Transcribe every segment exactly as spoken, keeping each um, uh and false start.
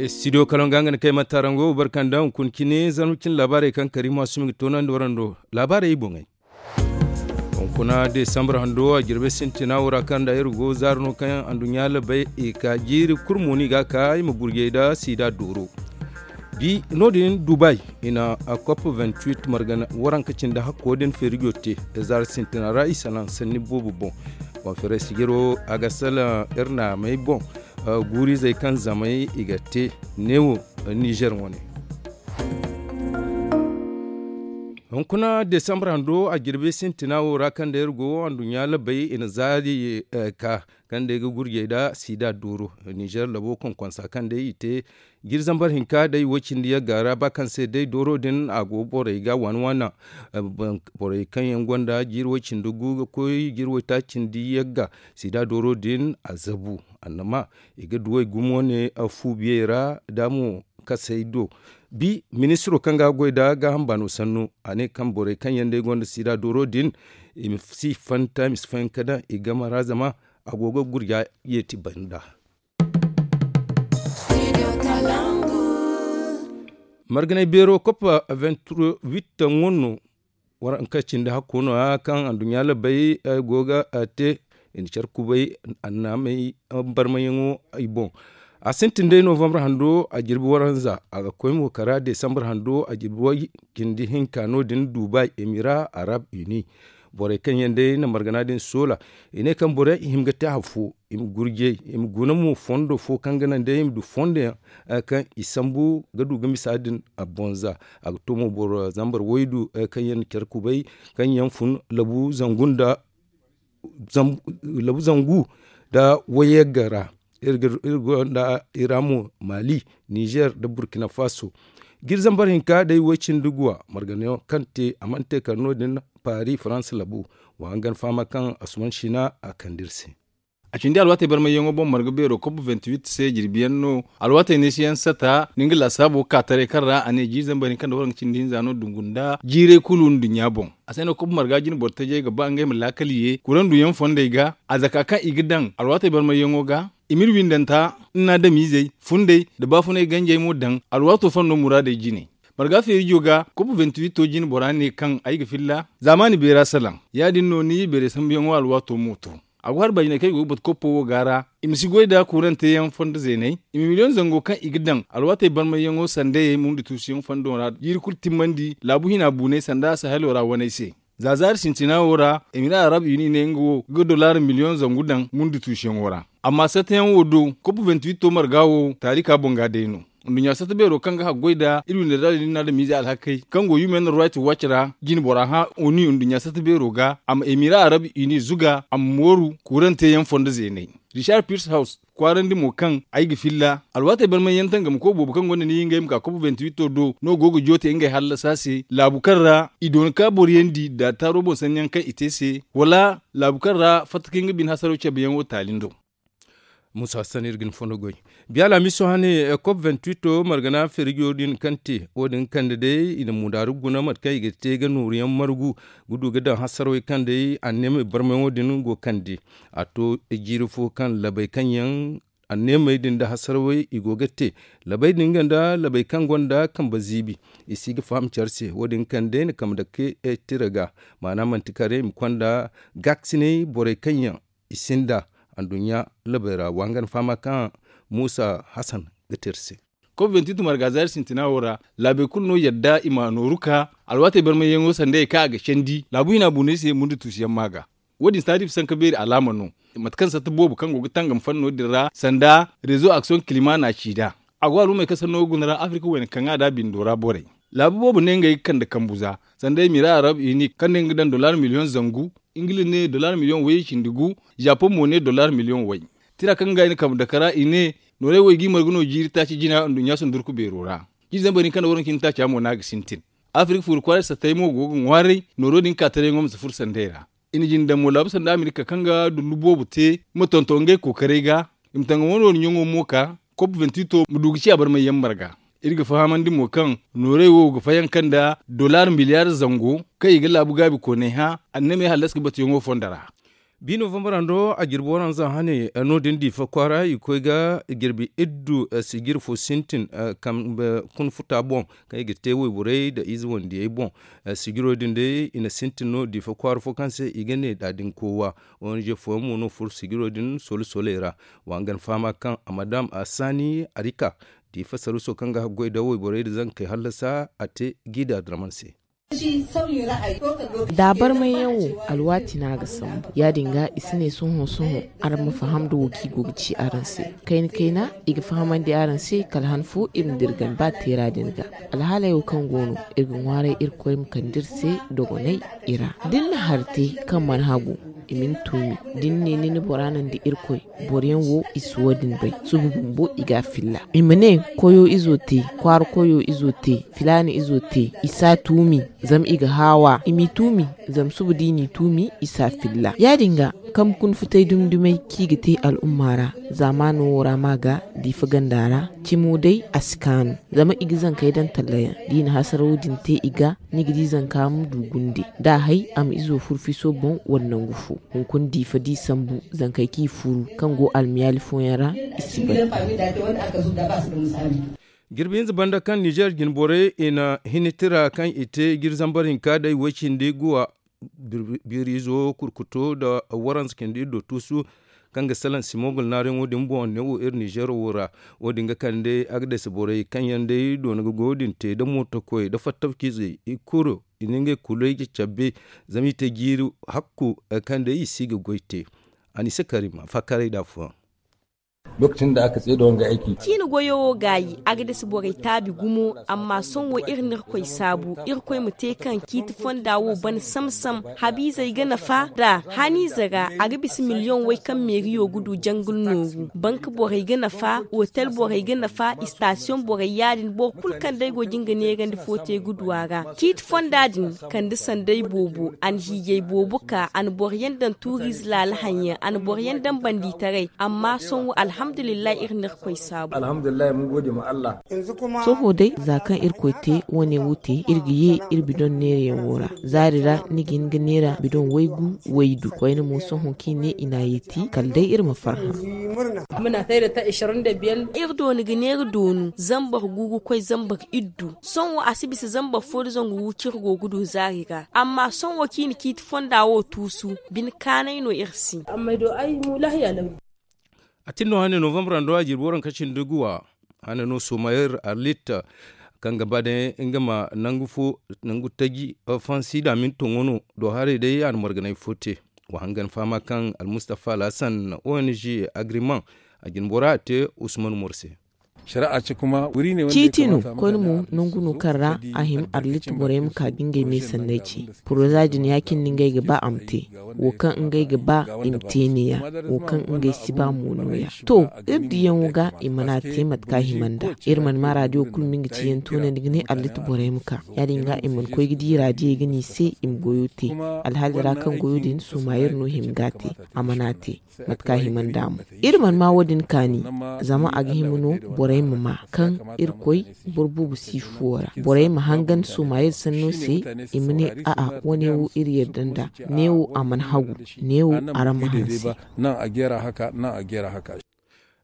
Studio kalaŋ ga nga na kay matarango barkanda hunkuna cine zarma cine laabaarey kaŋ kariima sumi ga toonandi warando laabaarey i boŋey. Hunkuna desambar hando a jirbi sintina wo ra kaŋ nda iri go zaara no kaŋ anduɲɲa labay i ka jiiri kulu mo no i ga a ka i ma gurjay nda siida dooro. Bi no- din dubai i na a kop vingt-huit margana waranka cindi hakko din feerijo te. Zaara sintina ra i salaŋ sanni boobo boŋ. Konferensi jiro a ga salaŋ iri naamey boŋ. Guurizey kaŋ zamey i ga te neewo nizer wane. Hunkuna desambar hando a jirbi sintina wo ra kaŋ day iri go anduɲɲa labay i na zaari ka kaŋ day ga gurjay nda siida dooro. Nizer labo konkonsa kaŋ day i te jiri zambar hinka day wo- cindi yagga ra ba kaŋ se day dooro din a go borey ga waana waana. Borey kaŋ yaŋ gonda jiiri wo- cindi gu ga koy jiiri wo- taaci cindi yagga siida dooro din a zabu. Annama i ga duwey gumo ne fu biyey ra da mo kasey do. Bi ministiro kaŋ ga goy nda gaaham baano sannu a ne kaŋ borey kaŋ yaŋ day gonda siida dooro din i ma si fanta i ma si fayanka daŋ i game ra zama a go ga gurja yeeti banda. Marganay beero kopa vingt-huit taŋ wane no waranka cindi hakko no- ya kaŋ anduɲɲa labay go ga te i na care kubay annaamey barmayaŋo i boŋ. A sintin day novambar hando a jirbi waranza a ga koy mo kara desambar hando a jirbi way cindi hinka no- din dubai emira arab uni. Borey kaŋ yaŋ day na margana din soola i ne kaŋ borey i hima ga te hari fo i ma gurjay i ma guna mo fondo fo kaŋ ga naŋ day i ma du fondo yaŋ kaŋ i sambu ga du ga misa din a bonza. A ga to mo boro zambar waydu kaŋ yaŋ na care kubay kaŋ yaŋ fun labu zangu nda labu zangu nda wayagga ra. Iri gonda ira mo mali nizer nda burkina faso. Jiri zambar hinka day way cindi guwa margana yaŋ kaŋ te a mana te kala no- din paris faransa labu. Wa hangan fahama kaŋ asuman sina a kande iri se. A cindi alwaatey barmayyaŋo boŋ marga beero kop vingt-huit se jirbi yaŋ no. Alwaatey neesi yaŋ sata ni nga laasaabo ga ka taray kaŋ ra a ne jiiri zambar hinka nda waranka cindi hinza no dungu nda jiiray kulu nduɲɲa boŋ. A se no kop marga jine boro tajey ga ba ngey ma laakal ye kuraŋ duyaŋ fondey ga a zaka kaŋ i ga daŋ alwaatey barmayyaŋo ga. I ma iri windanta nna adamizey fundey nda baafunay ganjey mo daŋ alwaato fondo muraadey jine. Marga feerijo ga kop vingt-huit to jine bora ne kaŋ ay ga filla zaamaani beera salaŋ ya- din no ni beeray sambuyaŋo alwaato mo to. A go hari baajinay kaŋ i go ga batu koppo wo ga ra i ma si goy nda kuurante yaŋ fondo zeeney i ma miliyoŋ zango kaŋ i ga daŋ alwaatey barmayyaŋo sandayey murndi tuusuyaŋ fondo ra jiiri kulu timmandi laabu hina buunay sanda sahelo ra waney se. Za zaari sintina wo ra emira arab uni ne nga wo ga dolaar miliyoŋ zangu daŋ murndi tuusuyaŋo ra. Amma sattayaŋ wo do kop vingt-huit to marga wo taarika boŋ ga day no. Nduɲɲa satta beero kaŋ ga haggoy nda iri windey da din na adamize alhakey kaŋ go human rights watch ra jine bora hã oni nduɲɲa satta beero ga a ma emira arab uni zuga a ma mooru kuurante yaŋ fondo zeeney. Richard pierce house kwaarandi mo kaŋ ay ga filla alwaatey barmay yaŋ tangam koy boobo kaŋ gonda ni ngey ma ka kop vingt-huit do no go ga joote ngey hallasa se laabu kaŋ ra i doona ka boro yaŋ di nda taaro boŋ sanni yaŋ kaŋ i te se wala laabu kaŋ ra fatta kaŋ nga bine hasaro cabe yaŋ wo taali ndo. Musa hassan iri ga ni fondo goy. Biya laamiso hane kop vingt-huit margana feerijo din kaŋ te wo- din kande day i na mudaaru guna mate kaŋ i ga te ga nooru yaŋ margu ga du ga daŋ hasarwey kaŋ day anneemey barmayaŋo din go kande. A to jiiri fo kaŋ labey kaŋ yaŋ anneemey din nda hasarwey i go ga te labey din nga nda labey kaŋ gonda kambe ziibi i si ga faham care se wo- din kaŋ day na kambe dake tira ga. Maana manti kare i ma konda gaakasinay borey kaŋ yaŋ i sinda anduɲɲa labey ra wa nga na fahama kaŋ muusa hasan ga te iri se. Kop vingt-huit marga zaari sintina wo ra laabey kulu no yadda i ma nooru ka alwaatey barmayyaŋo sanda ye kaŋ a ga candi laabu hina buunay se murndi tuusuyaŋ ma ga. Wo- din si taariifi sanka beeri alaama no mate kaŋ satta boobo kaŋ go ga tangam fanno din ra sanda rezo aksiyoŋ kilima na a ci nd'a. A go alumey kaŋ sanno ga guna ra afirka wayna kaŋ a da bindo ra borey laabu boobo ne ngey ga kande kambu za sanda emira arab uni kaŋ ne nga ga daŋ dollar miliyoŋ zangu. Ingila ne dollar miliyoŋ way cindi gu. Japan mo ne dollar miliyoŋ way. Tira kaŋ ga i na kambe dake ra i ne noorey wo i g'i margu no jiiri taaci jina nduɲɲa sundurku beero ra. Jiiri zambar hinka nda waranka cindi taaca mo no a ga sintin. Afirka fuuri kwaaray sattey mo go ga ŋwaaray nooro din ka tarayyaŋo ma si furo sandey ra. I na jine daŋ mo laabu sanda amerika kaŋ ga dullu boobo te ma tonton ngey kookaray ga. I ma tangamo noori ɲaŋo mo ka kop vingt-huit ma du ga ciya barmayyaŋ marga. Iri ga fahamandi mo kaŋ noorey wo ga fayanka nda dollar miliyaar zango kaŋ i ga laabu gaabi kooney hã anneemey hallas ga batuyaŋo fondo ra. Bi novambar hando a jirbi waranza hane no- din diifa kwaara i koy ga jirbi iddu sijir fo sintin kambe kuna futa boŋ, kaŋ i ga te wayborey nda ize wandiyey boŋ. Sijiro din day i na sintin no diifa kwaara fo kaŋ se i ga ne daadin kowa. Ong fooyaŋ mo no furo sijiro din solo soley ra. Wa nga na fahama kaŋ a ma daŋ a saani a di ka diifa saruso kaŋ ga haggoy nda wayborey nda zankey hallasa a te gida draman se. Da a barmayyaŋ wo, alwaati no a ga sambu ya- din ga i si ne sohõ-sohõ araŋ ma faham nda wo kaŋ i go ga ci araŋ se. Kayna-kayna i ga fahamandi araŋ se kala han fo iri ma dirgan ba teera din ga. Alhaaley wo kaŋ go no, iri ga ŋwaaray irkoy ma kande iri se dogonay i ra. Da ni na hari te kaŋ mana hagu, i ma ni tuumi. Da ni ne ni na bora naŋ da irkoy, boro yaŋ wo i si wo- din bay. Suba bumbo i ga a filla, i ma ne koyo izo te, kwaara koyo izo te, filaana izo te, i si a tuumi. Zama i ga haawa i m'i tuumi. Zama suba da i n'i tuumi, i si a filla. Ya- din ga kambe kuna futay dumi-dumey kaŋ i ga te al'umma ra. Zaamaano wo ra ma ga diifa ganda ra, cimo day a si kaanu. Zama i ga zankey daŋ talla yaŋ da i na hasaraw din te i ga, ni ga di zanka ma du gunde da a hay a ma izo furo fiso boŋ wala nangu fo. Hunkuna diifa da i sambu, zankey kaŋ i furu kaŋ go almiyaali fooyaŋ ra, i si bay. Jirbi hinza banda kaŋ ninzeer jinborey i na hinitira kaŋ i te jiri zambar hinka day way-cindi guwa, biiriizo kurkuto nda waranza cindi iddo tuusu, kaŋ ga salaŋ simogul naarayaŋo din boŋ neewo iri ninzeero wo ra. Wo- din ga kande agades borey kaŋ yaŋ day doona ga goyo din te nda mootokoy nda fattawcizey i kulu i na ngey kuley ga cabbe. Zama i te jiiri hakku kaŋ day i si ga goy te. A na i se karima faakaaray da afooyaŋ. Ciine goyo wo gaayi, agades borey taabi gumo. Amma sohõ wo iri na irkoy saabu, irkoy ma te kaŋ ciiti fonda wo ban sam-sam. Habiizey ga nafa nd'a. Haniize ra a ga bisa miliyoŋ way kaŋ meeriyo ga du jangul nooru. Bank borey ga nafa, otel borey ga nafa, istasiyoŋ borey ya- din boro kulu kaŋ day go ga nga neerandi fo te ga du a ra. Ciiti fonda din kande sanday boobo, a na hiijay boobo ka, a na boro yaŋ daŋ tuuriize laala haŋ yaŋ, a na boro yaŋ daŋ bandiitaray. Amma sohõ wo alhamdulillahi iri na irkoy saabu. Sohõ day za kaŋ irkoy te wo- ne wo te, iri ga ye iri bidoŋ neerayaŋo ra. Zaari ra ni ga hin ga neera bidoŋ waygu waydu koyne mo sohõ kaŋ i ne i n'a yeeti kala day iri ma farhã. Iri dooni ga neera doonu zambar gu ga koy zambar iddu. Sohõ wo a si bisa zambar fo nda zangu gu kaŋ iri go ga du zaari ra. Amma sohõ wo kaŋ i na ciiti fonda wo tuusu, bine kaanay no iri se. A tin no hane novambar hando a jirbi waranka cindi guwa. Hane no somayir arlit kaŋ ga ba day nga ma nangu fo, nangu taji, fansi da mintoŋo no do haray day a na marganay fo te. Wa hangan fahama kaŋ almustafa alhassan ong agriman a jinbora a te usman morse. Ciiti no koyne mo nangu no kaŋ ra a hima arlit borey ma ka ga ngey me sanney ce. Poroza din ya- cine no ngey ga ba a ma te. Wo kaŋ ngey ga ba i ma te neeya. Wo kaŋ ngey si ba mo nooya. To, iri diyaŋo ga i mana te mate kaŋ a hima nd'a. Iri mana ma raadiyo kulu ma nga ciyaŋ toonandi ga ne arlit borey ma ka. Ya- din ga i mana koy ga di raadiyey ga ne i se i ma goyo te. Alhaali ra kaŋ goyo din soomayer no hima ga a te. A mana te mate kaŋ a hima nd'a mo. Iri mana ma wo- din kaani. Zama a ga hima no borey ma ma kaŋ irkoy boro boobo si fuwo ra. Borey ma hangan soomayer sanno se. I ma ne a'a, wo- ne wo iri yarda nd'a. Ne wo a mana hagu. Ne wo araŋ ma hanse.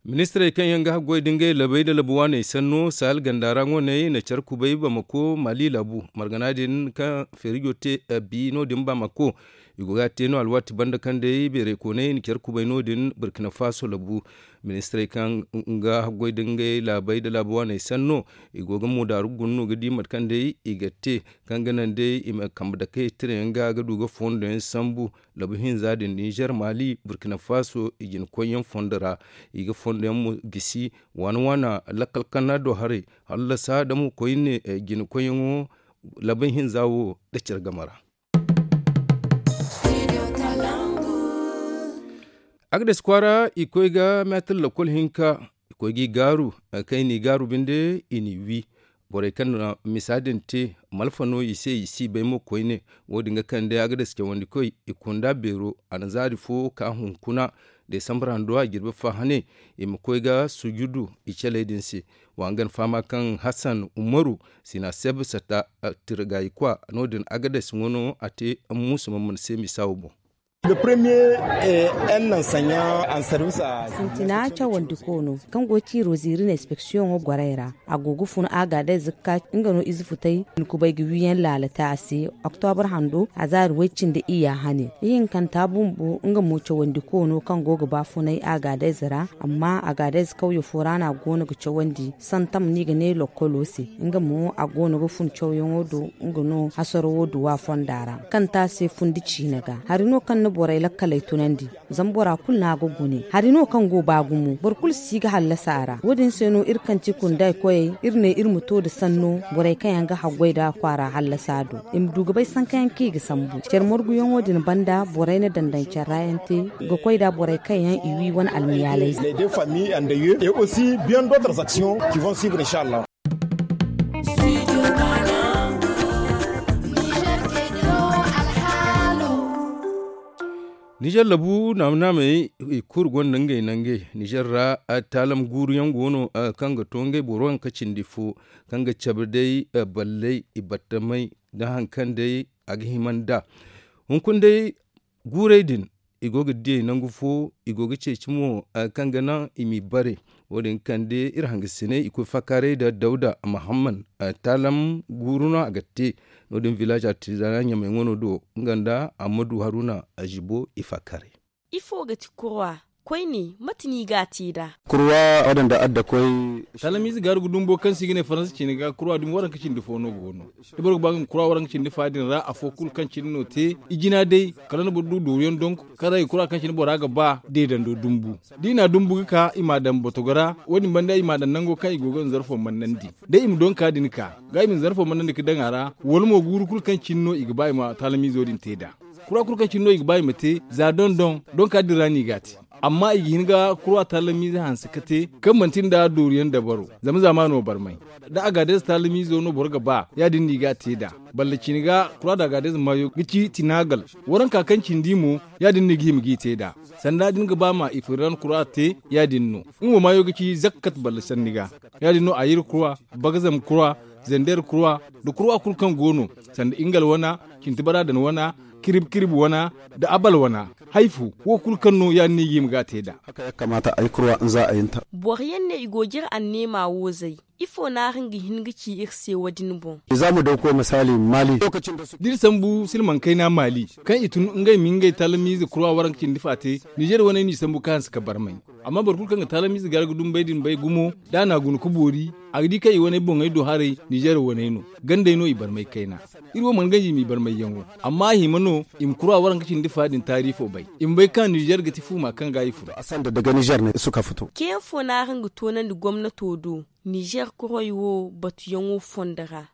Ministirey kaŋ yaŋ ga haggoy da ngey labey nda labu waaney sanno sahel ganda ra ŋwaney na care kubay bamako mali labu margana din kaŋ feerijo te bi no- din bamako. I go ga a te no alwaati banda kaŋ day beerey kooney na care kubay no- din burkina faso labu. Ministirey kaŋ ga haggoy da ngey laabey nda laabu waaney sanno i go ga moodaaru guna no ga di mate kaŋ day i ga te kaŋ ga naŋ day i ma kambe dakey tirayaŋ ga ga du ga fondo yaŋ sambu. Labu hinza din ninzeer mali burkina faso i jina koyyaŋ fondo ra. I ga fondo yaŋ mo gisi waana waana lakkal kanna do haray hallasa da mo koyne jina koyyaŋo. Labu hinza wo da care game ra. Agades kwaara i koy ga meetir lakkol hinka. I koy ga i gaaru kaŋ i n'i gaaru binde i n'i wi. Borey kaŋ na misa din te malfa no i se i si bay mo koyne. Wo- din ga kande agades cawandikoy i kunda beero a na zaari fo ka hunkuna. Desambar hando a jirbi fa hane i ma koy ga sujudu i caley din se. Wa nga na fahama kaŋ hassan umaru sina seb sata tirgayi kwa no- din agades ŋwa no a te muusa ma mana se misa wo boŋ. Sintina cawandi koono kaŋ go ga ciiro ziiri na inspeksiyoŋo gorey ra, a go ga fun agadez ga ka nga no ize futay, ni kubay ga wiyaŋ laala te a se. Oktobar hando a zaari way-cindi iyya hane, ihinkanta bumbo nga mo cawandi koono kaŋ go ga ba funay agadez ra. Amma agadez kawye fo ra no a go no ga cawandi santam no i ga ne lokkolo se. Nga mo a go no ga fun cawyaŋo do, nga no hasaro wo duwa fonda ra kaŋ te a se fundi ciine ga. Hari no kaŋ na borey lakkaley tunandi, zama bora kulu no a ga gune. Hari no kaŋ go ba gumo, boro kulu si ga hallasa a ra. Wo- din se no iri kaŋ ti kunday koyey, iri ne iri ma to nda sanno borey kaŋ yaŋ ga haggoy nda kwaara hallasa do, i ma du ga bay sanka yaŋ kaŋ i ga sambu care marguyaŋo din banda borey na dandaŋ care ra yaŋ te, ga koy nda borey kaŋ yaŋ i wi wane almiyaaley se. Nizer labu naama-naamey i kulu gonda ngey nangey. Nizer ra taalam guuru yaŋ go no kaŋ ga to ngey boro waranka cindi fo, kaŋ ga cabe day balley, i battamey, da hari kaŋ day a ga hima nd'a. Hunkuna day guurey din, i go ga diyey nangu fo, i go ga ceeci mo kaŋ ga naŋ i m'i bare. Wo- din kande iri hangasiney i koy faakaaray nda dawda mahamman. Taalam guuru no a ga te. No- din village artisanal ɲamay wano do nga nda ammadu haruna azibo i faakaaray. Ifo ga ti kurwa? Koyne mate no i ga a te nd'a? Kurwa wadanda adda koy. Taalamiize gaaru ga dumbo kaŋ se i ga ne faransa ciine ga kurwa dumi waranka cindi fo no go no. Da boro ga ba nga ma kura waranka cindi fa din ra afo kulu kaŋ cine no te, i jina day kala nda boro du dooru yaŋ donk. Kala i kura kaŋ cine bora ga ba deedando dumbu. Da i na dumbu ga ka i m'a daŋ botogo ra, wo- din banda i m'a daŋ nango kaŋ i go ga nzarfo mannandi. Day i ma donka din ka ga i ma nzarfo mannandi ga daŋ a ra. Wala mo guuru kulu kaŋ cine no i ga ba i ma taalamiizo din te nd'a. Kura kulu kaŋ cine no i ga ba i ma te za doŋ-doŋ, donka din ra no i ga a te. Amma i ga hin ga kura taalamiize hanse ga te kaŋ manti nda dooru yaŋ dabaro. Zama zaamaano barmay da a ga day za taalamiizo no boro ga ba, ya- din no i ga a te nd'a. Balla cine ga kura da a ga day za maayo ga ci tinaagal. Waranka kaŋ cindi mo, ya- din no i ga hima g'i te nd'a. Sanda da ni ga ba ma i firiran kura te, ya- din no. Nga mo maayo ga ci zakkat balla sanni ga. Ya- din no a yir kura, bagazam kura, zander kura, nda kura kulu kaŋ go no, sanda ingal wana, cintibara dan wana, kirib-kirib wana, nda abal wana. Haifu wo kulu kaŋ no ya- din no i ga hima g'a te nd'a. Boro yaŋ ne i go ga iri anneema wo zay. Ifo no araŋ ga hin ga ci iri se wo- din boŋ? Da iri sambu silmaŋ kayna maali kaŋ i tun ngey ma ngey taalamiize kura waranka cindi fa te, nizer waney no i sambu ka hanse ka barmay. Amma boro kulu kaŋ ga taalamiize gar ga dumbay din bay gumo, da a na guna ga boori, a ga di kaŋ i waney boŋey do haray nizer waney no. Gandey no i barmay kayna. Iri wo mana ganji i m'i barmayyaŋo. Amma a hima no i ma kura waranka cindi fa din taarifo bay, i ma bay kaŋ nizer ga ti fuuma kaŋ ga i furo. Ceeyaŋ fo no araŋ ga toonandi gomnato do nizer kuray wo batuyaŋo fondo ra?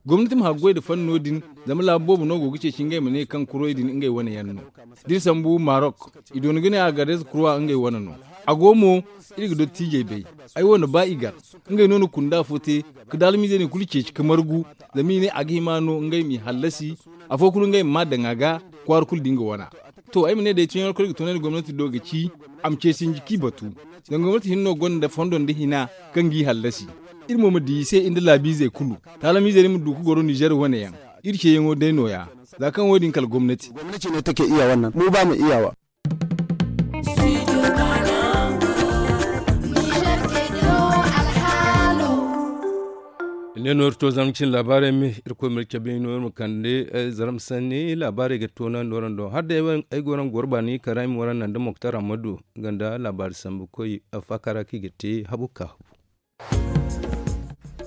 Gomnati ma haggoy nda fanno din. Zama laabu boobo no go ga ceeci ngey ma ne kaŋ kuray din ngey wane yaŋ no. Da iri sambu marok, i doona ga ne a ga reeza kurwa ngey wane no. A go mo, iri ga dottiijey bay. Ay wo na ba i gar. Ngey no na kunda fo te, ka daalamiizey din kulu ceeci ka margu. Zama i ne a ga hima no ngey m'i hallasi. Afo kulu ngey ma maa daŋ a ga, kwaara kulu da nga wana. To ay ma ne day tunyaŋ alkoy ga tunandi gomnati do ga ci, a ma ce sinji k'i batu. Zama gomnati hinne no gonda fondo nda hina, kaŋ g'i hallasi. Iri mo ma di i se i nda laabiizey kulu. Taalamiizey din ma du ga goro nizer wane yaŋ. Iri ceeyaŋo day nooya. Za kaŋ wo- din kala gomnati. Ne no iri to zama cine laabaarey me. Iri koy ma iri cabe no iri ma kande zarma sanni laabaarey ga toonandi waraŋ do hala day ay go no ga goro baani kara ay ma waraŋ naŋ da moktar ammadu, nga nda laabaari sambu koy faakara kaŋ i ga te habu ka habu.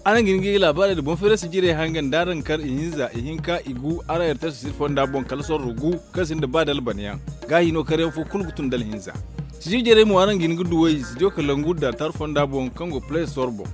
Araŋ ga hin ga i laabaarey nda boŋ feerey sijirey haŋ ga nda araŋ kar ihinza ihinka igu araŋ yartar sijir fonda boŋ kala sorro gu, kaŋ sinda ba dalbanayaŋ. Gaahi no karyaŋ fo kulu ga tun dala hinza. Sijir jarey mo araŋ ga hin ga duw'ey studio kalangu da tar fonda boŋ kaŋ go play store boŋ.